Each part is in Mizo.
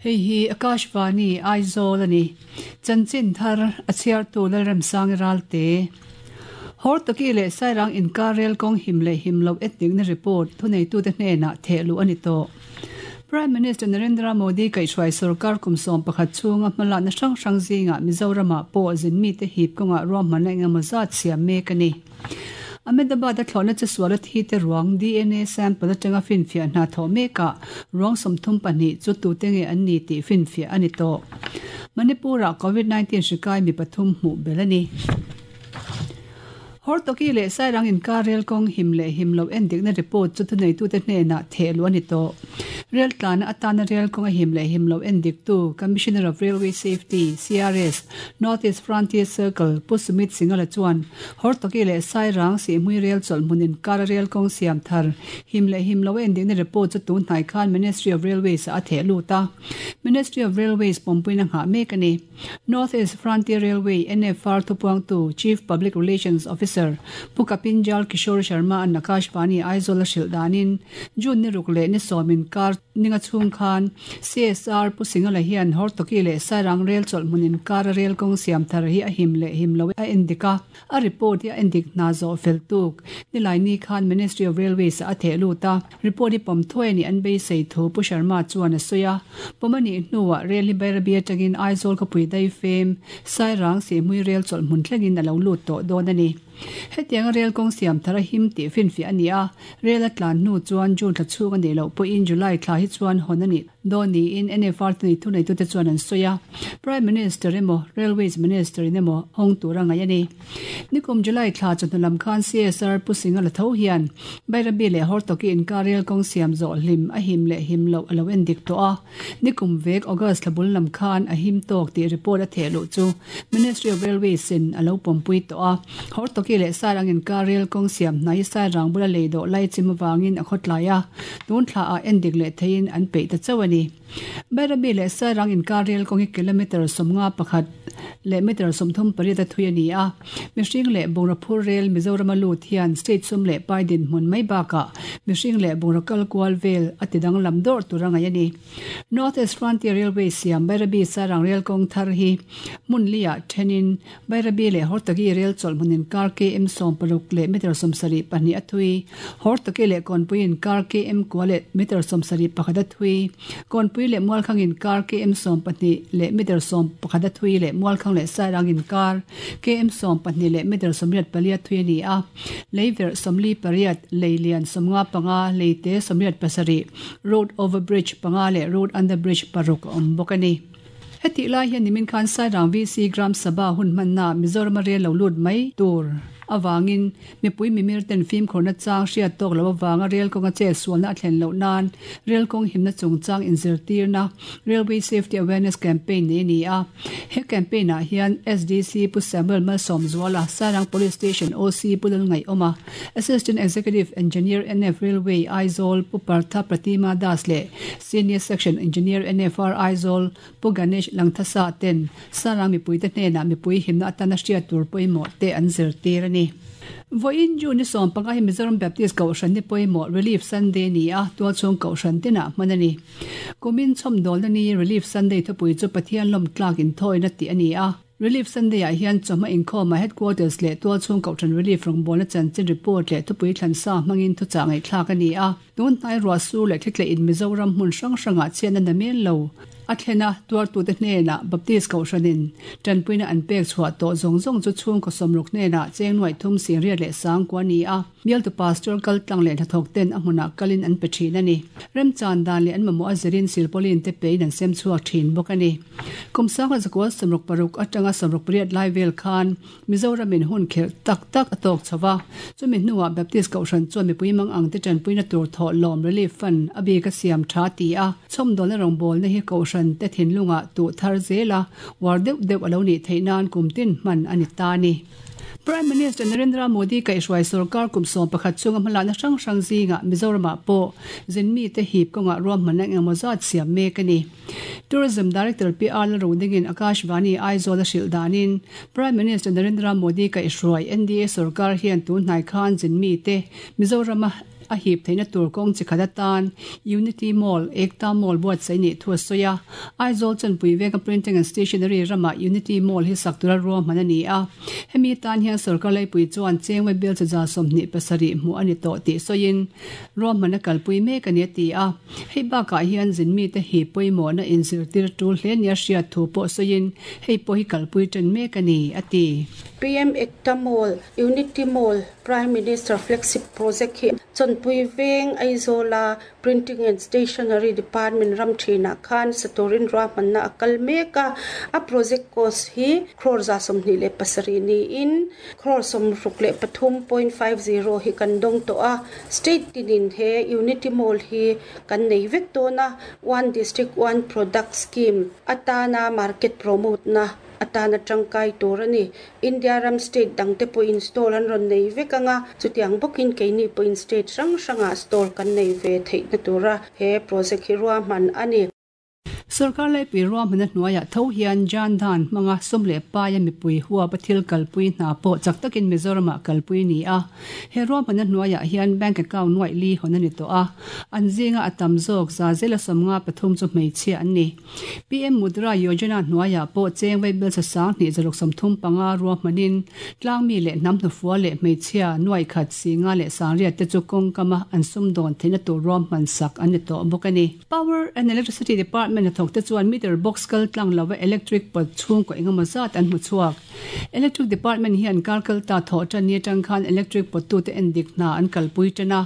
Hei hi Akashvani Aizawl a ni. Chanchin thar a chhiartu Lalremsangi Ralte. Hortoki leh Sairang inkar rel kawng him leh him loh etnikna report thuneitute hnenah theh luh a ni tawh. Prime Minister Narendra Modi kaihhruai sorkar kum 11 chhunga hmalakna hrang hrang zingah Mizoramah pawh zin mite hip kawngah ruahmanna engemaw zat siam mek a ni. Ahmedabad-a thlawhna chesuala thi te ruang DNA sample atanga finfiah hna thawh mekah ruang 32 chu tute nge an ni tih finfiah a ni tawh. Manipur-ah Covid 19 hri kai mi pathum hmuh belh a ni. Hortoki leh Sairang inkar rel kawng him leh him loh endikna report chu thuneitute hnenah theh luh a ni tawh. Rel tlana atana rel kawng a him leh him loh endiktu Commissioner of Railway Safety, CRS, North East Frontier Circle, Pu Sumit Singhala chuan Hortoki leh Sairang Sihhmui rel chawlh hmun inkara rel kawng siam thar him leh him loh endikna report chu tun hnai khan Ministry of Railways ah a theh lut a. Ministry of Railways pawmpuina nghah mek a ni. North East Frontier Railway, NFR, thupuangtu Chief Public Relations Officer Pu Kapinjal Kishore Sharma an Akashvani Aizawl a hrilh danin June ni ruk leh ni sawm inkar ninga chhung khan CSR Pu Singhala hian Hortoki leh Sairang rel chawlh hmun inkara rel kawng siam thar hi a him leh him lo a endik a, a report hi a endik hna zawh fel tuk. Nilaini khan Ministry of Railways ah a theh lut a. Report hi pawm thuai a nih an beisei thu Pu Sharma chuan a sawi a. Pawm a nih hnuah rel hi Bairabi atangin Aizawl khawpui daifem, Sairang Sihhmui rel chawlh hmun thlengin a lo lut tawh dawn a ni. Hetianga rel kawng siam thar a him tih finfiah a ni a, rel a tlan hnu chuan June thla chhung a nih loh pawhin July thla hi chuan hawn a nih dawn niin NFR te nei thuneitute chuan an sawi a. Prime Minister emaw Railways Minister in emaw hawng tur a ngaih a ni. Nikum July thla chawhnu lam khan CSR Pu Singa la tho hian Bairabi leh Hortoki inkar rel kawng siam zawh hlim a him leh him loh a lo en dik tawh a. Nikum vek August thla bul lam khan a him tawk tih report a theh luh chu Ministry of Railways in a lo pawmpui tawh a. Hortoki leh Sairang inkar rel kawng siam hnai Sairang bula lei dawh lai chim avangin a khawtlai a, tun thla ah en dik leh theiin an peih ta chauh a ni. Bairabi leh Sairang inkar rel kawng hi kilometre 51 leh metre 38 a thui a ni a. Mihring leh bungraw phur rel Mizorama lut hian state sum leh pai dinhmun mai bakah mihring leh bungraw kal kual vel a ti danglam dawrh tur a ngaih a ni. North East Frontier Railway siam Bairabi Sairang rel kawng thar hi hmun liah thenin Bairabi leh Hortagi rel chawlh hmun inkar KM 60 leh metre 72 a thui, Hortagi leh Kawnpui inkar KM kua leh metre 71 a thui, Kawnpui leh Mualkhang inkar KM 12 leh metre 11 a thui leh Mualkhang leh Sairang inkar KM 12 leh metre 84 a thui a ni a. Leiverh 48, lei lian 55, leite 87, road over bridge panga leh road under bridge paruk a awm bawk a ni. Hetih lai hian nimin khan Sairang VC Gram Sabha hun hmanna Mizorama rel lo lut mai tur avangin mipui mimir ten fimkhurna chang hriat tawk loh avanga rel kawnga chet sualna a thlen loh nan rel kawng himna chungchang inzirtirna Railway Safety Awareness Campaign nei a ni a. He campaign ah hian SDC Pu Samuel Malsawmzuala, Sairang Police Station OC Pu Lalngaihawma, Assistant Executive Engineer NF Railway Aizawl Pu Partha Pratima Das leh Senior Section Engineer NFR Aizawl Pu Ganesh Langthasa ten Sarang mipuite hnenah mipui himna atana hriat tur pawimawh te an zirtir a ni. Vawiin June ni 15 hi Mizoram Baptist Kohhran ni pawimawh Relief Sunday ni a, tualchhung Kohhran tinah hman a ni. Kumin chhawmdawlna ni Relief Sunday thupui chu Pathian lawmtlak inthawina tih a ni a. Relief Sunday-ah hian chawhma inkhawmah Headquarters leh tualchhung Kohhran Relief rawngbawlna chanchin report leh thupui thlansa hmangin thuchah ngaihthlak a ni a. Tun hnai ruah sur leh thlitleh in Mizoram hmun hrang hrangah chhiatna na mel lo a thlen a, tuartute hnenah Baptist Kohhranin tanpuina an pek chhuah tawh zawng zawng chu chhungkaw sawmruk hnenah cheng nuaih thum singriat leh sangkua a ni a. Bialtu Pastor kal tlang leh hnathawk ten a hmunah kalin an pe thin a ni. Remchan dan leh an mamawh a zirin silpauline te pein an sem chhuak thin bawk a ni. Kum sangha zakua 66 atanga 68 lai vel khan Mizoramin hun khelh tak tak a tawk chho va. Chumi hnuah Baptist Kohhran chuan mipui mang ang te tanpuina tur thawh lawm Relief Fund a bik a siam tha ti a. Chhawmdawlna rawngbawlna hi Kohhran te thinlungah tuh thar zel a, uar deuh deuh a lo nih theih nan kum tin hman a ni ta a ni. Prime Minister Narendra Modi kaihhruai sorkar kum 11 chunga hmalakna hrang hrang zingah Mizoramah pawh zin mite hip kawngah ruahmanna engemaw zat siam mek a ni. Tourism Director Pi R Lalrudingin Akashvani Aizawl a hrilh danin Prime Minister Narendra Modi kaihhruai NDA sorkar hian tun hnai khan zin mite Mizorama. a hip theihna tur kawng chi khat atan Unity Mall, Ekta Mall buatsaih nih thu a sawi a. Aizawl Chanpui venga Printing and Stationery ramah Unity Mall hi sak tura ruahman a ni a. Hemi tan hian sorkar laipui chuan chengwe bill chi 27 hmuh a ni tawh tih sawiin ruahman a kalpui mek a ni a ti a. Hei bakah hian zinmite hi pawimawhna inzirtir tul hle nia hriat thu pawh sawiin hei pawh hi kalpui ṭan mek a ni, a ti. PM Ekta Mall, Unity Mall, Prime Minister Flagship Project hi Chawnpui Veng Aizawla Printing and Stationery Department ram thinah khan sa turin ruahmanna a kal mek a. A project cost hi crore 27 niin crore 63.50 hi kan dawng tawh a. State tinin he Unity Mall hi kan nei vek dawn a, One District One Product Scheme atana market promote na atana tangkai tur a ni. India ram state dangte pawhin stall an rawn nei vek ang a, chutiang bawkin keini pawhin state hrang hrangah stall kan nei ve theihna tura he project hi ruahman a ni. Sorkar laipui ruahmanna hnuaiah tho hian Jan Dhan hmanga sum leh paia mipui huapa thil kalpui hna pawh chak takin Mizoramah kalpui a ni a. He ruahmanna hnuaiah hian bank account nuaih li hawn a ni tawh a, an zinga a tam zawk 153 chu hmeichhia an ni. PM Mudra Yojana hnuaiah pawh cheng vaibel sa 2635 ruahmanin tlangmi leh hnam hnufua leh hmeichhia nuaih khat singa leh sangriat te chu kawngkama an sumdawn theihna tur ruahman sak an ni tawh bawk a ni. Power and Electricity Department hnathawk te chuan meter box kal tlang lova electric pot chhungkaw engemaw zat an hmu chhuak. Electric Department hian kar kal ta thawh tan ni atang khan electric pot tute endik hna an kalpui tan a.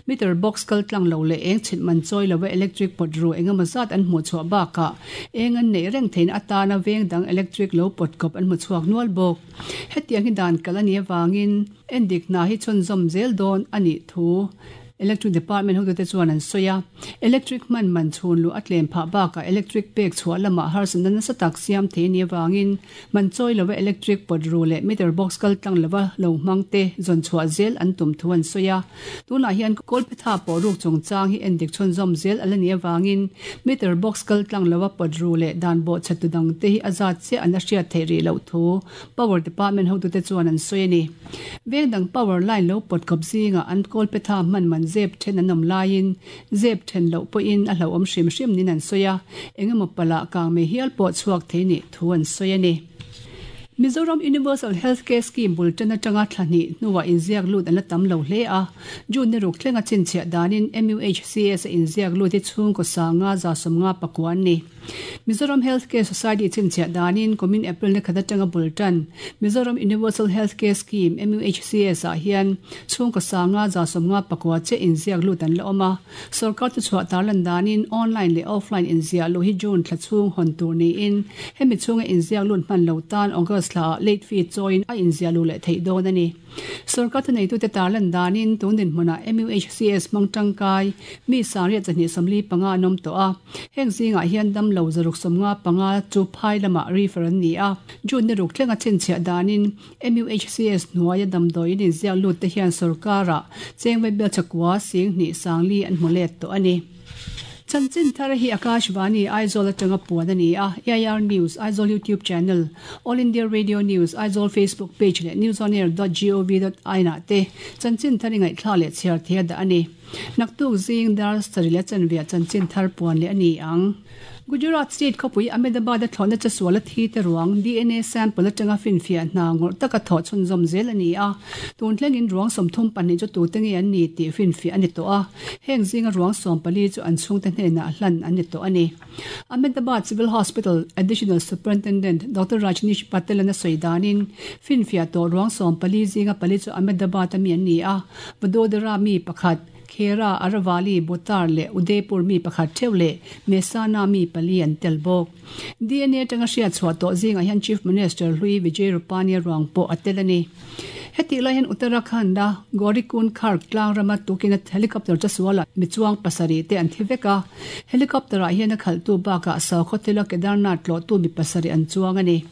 Meter box kal tlang lo leh eng chhit man chawi lova electric pot ru engemaw zat an hmuh chhuah bakah eng an neih reng theihna atana veng dang electric lo pot kawp an hmu chhuak nual bawk. Hetiang hi dan kal a nih avangin endik hna hi chhunzawm zel dawn a nih thu Electric Department hotute chuan an sawi a. Electric hman man chhun luh a tlem phah bakah electric pek chhuah lamah harsatna nasa tak siam thei a nih avangin man chawi lova electric pot ru leh meter box kal tlang lova lo hmang te zawn chhuah zel an tum thu an sawi a. Tunah hian Kawlphetha pawh ruk chungchang hi endik chhunzawm zel a la nih avangin meter box kal tlang lova pot ru leh dan bawhchhe tu dang te hi a zat chiah an la hriat theih rih loh thu Power Department hotute chuan an sawi a ni. Veng dang power line lo pawt kawp zingah an kawlphetha hman man zep then an awm laiin zep then loh pawhin a hlauhawm hrim hrim niin an sawi a, engemaw palh ah kang mei hial pawh chhuak thei nih thu an sawi a ni. Mizoram Universal Health Care Scheme bul tan atanga thla hnih hnuah inziak lut an la tam lo hle a, June ni ruk thlenga chhinchhiah danin MUHCS a inziak lut hi chhungkaw sanga 59 an ni. Mizoram Health Care Society chhinchhiah danin kumin April ni khat atanga bul tan Mizoram Universal Health Care Scheme, MUHCS, ah hian chhungkaw sanga 59 chiah inziak lut an la awm a. Sorkar thuchhuah tarlan danin online leh offline inziah luh hi June thla chhung hawn tur niin hemi chhunga inziak lut hman lo tan August thla ah late fee chawiin a inziah luh leh theih dawn a ni. Sorkar thuneitute tarlan danin tun dinhmunah MUHCS hmang tangkai mi sangriat 245 an awm tawh a. Heng zingah hian damlo 655 chu phai lamah refer an ni a. June ni ruk thlenga chhinchhiah danin MUHCS hnuaia damdawiin inziak lut te hian sorkarah chengvai bel chakua sing hnih sangli an hmu let tawh a ni. Chanchin thar hi Akashvani Aizawl atanga puan a ni a, AIR News, Aizawl YouTube Channel, All India Radio News, Aizawl Facebook Page leh newsonair dot gov dot in ah te chanchin thar i ngaihthlak leh chhiar thei a dah a ni. Naktuk zing dar sarih leh chanveah chanchin thar puan leh a ni ang. Gujarat State khawpui Ahmedabad-a thlawhna chesual a thi te ruang DNA sample atanga finfiah hna ngawrh taka thawh chhunzawm zel a ni a. Tun thlengin ruang 32 chu tute nge an ni tih finfiah a ni tawh a. Heng zinga ruang 14 chu an chhungte hnenah hlan an ni tawh a ni. Ahmedabad Civil Hospital Additional Superintendent Doctor Rajnish Patel-a'n a sawi danin finfiah tawh ruang 14 zinga pali chu Ahmedabad-a mi an ni a, Vadodara mi pakhat, Khera, Aravalli, Botar leh Udaipur mi pakhat theuh leh Mehsana mi pali an tel bawk. DNA atanga hriat chhuah tawh zingah hian Chief Minister hlui Vijay Rupani ruang pawh a tel a ni. Hetih lai hian Uttarakhand-a Gaurikund Kharg tlang rama tukin a helicopter chasualah mi chuang pasarih te an thi vek a. Helicopter-ah hian a khalhtu bakah Sakhaw thila Kedarnath tlawhtu mi pasarih an chuang a ni.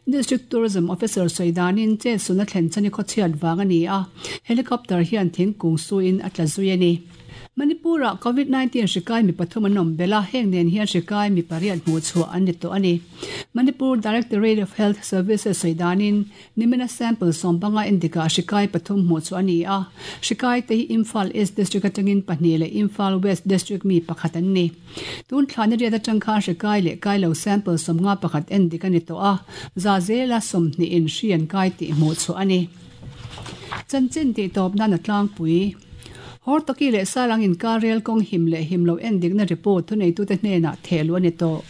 District Tourism Officer sawi danin chetsulna thlen chhan i khawchhiat vang a ni a, helicopter hian thingkung suin a tla zui a ni. Manipur-ah Covid 19 hri kai mi pathum an awm belh a, heng nen hian hri kai mi pariat hmuh chhuah an ni tawh a ni. Manipur Directorate of Health Services sawi danin, nimina sample sawmpanga endikah hri kai pathum hmuh chhuah a ni a, hri kai te hi Imphal East District atangin pahnih leh Imphal West District mi pakhat an ni. Tun thla ni riat atang khan hri kai leh kai lo sample sawmnga pakhat endik a ni tawh a, za zela sawmhnihin hri an kai tih hmuh chhuah a ni. Chanchin tih tawp nan a tlangpui. Hortoki leh Salang inkar rel kawng him leh him lo endikna report thuneitute hnenah thehluh a ni tawh.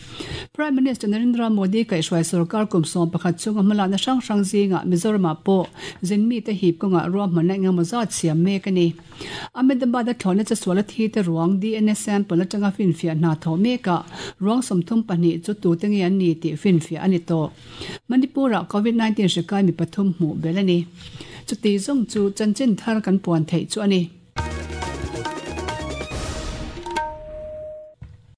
Prime Minister Narendra Modi kaihhruai sorkar kum 11 chunga hmalakna hrang hrang zingah Mizoramah pawh zin mite hip kawngah ruahmanna engemaw zat siam mek a ni. Ahmedabad-a thlawhna chasuala thite ruang DNA sample atanga finfiah hna thawh mekah ruang 32 chu tute nge an ni tih finfiah a ni tawh. Manipur-ah Covid 19 hri kai mi pathum hmuh belh a ni. Chuti zawng chu chanchin thar kan puan theih chu a ni.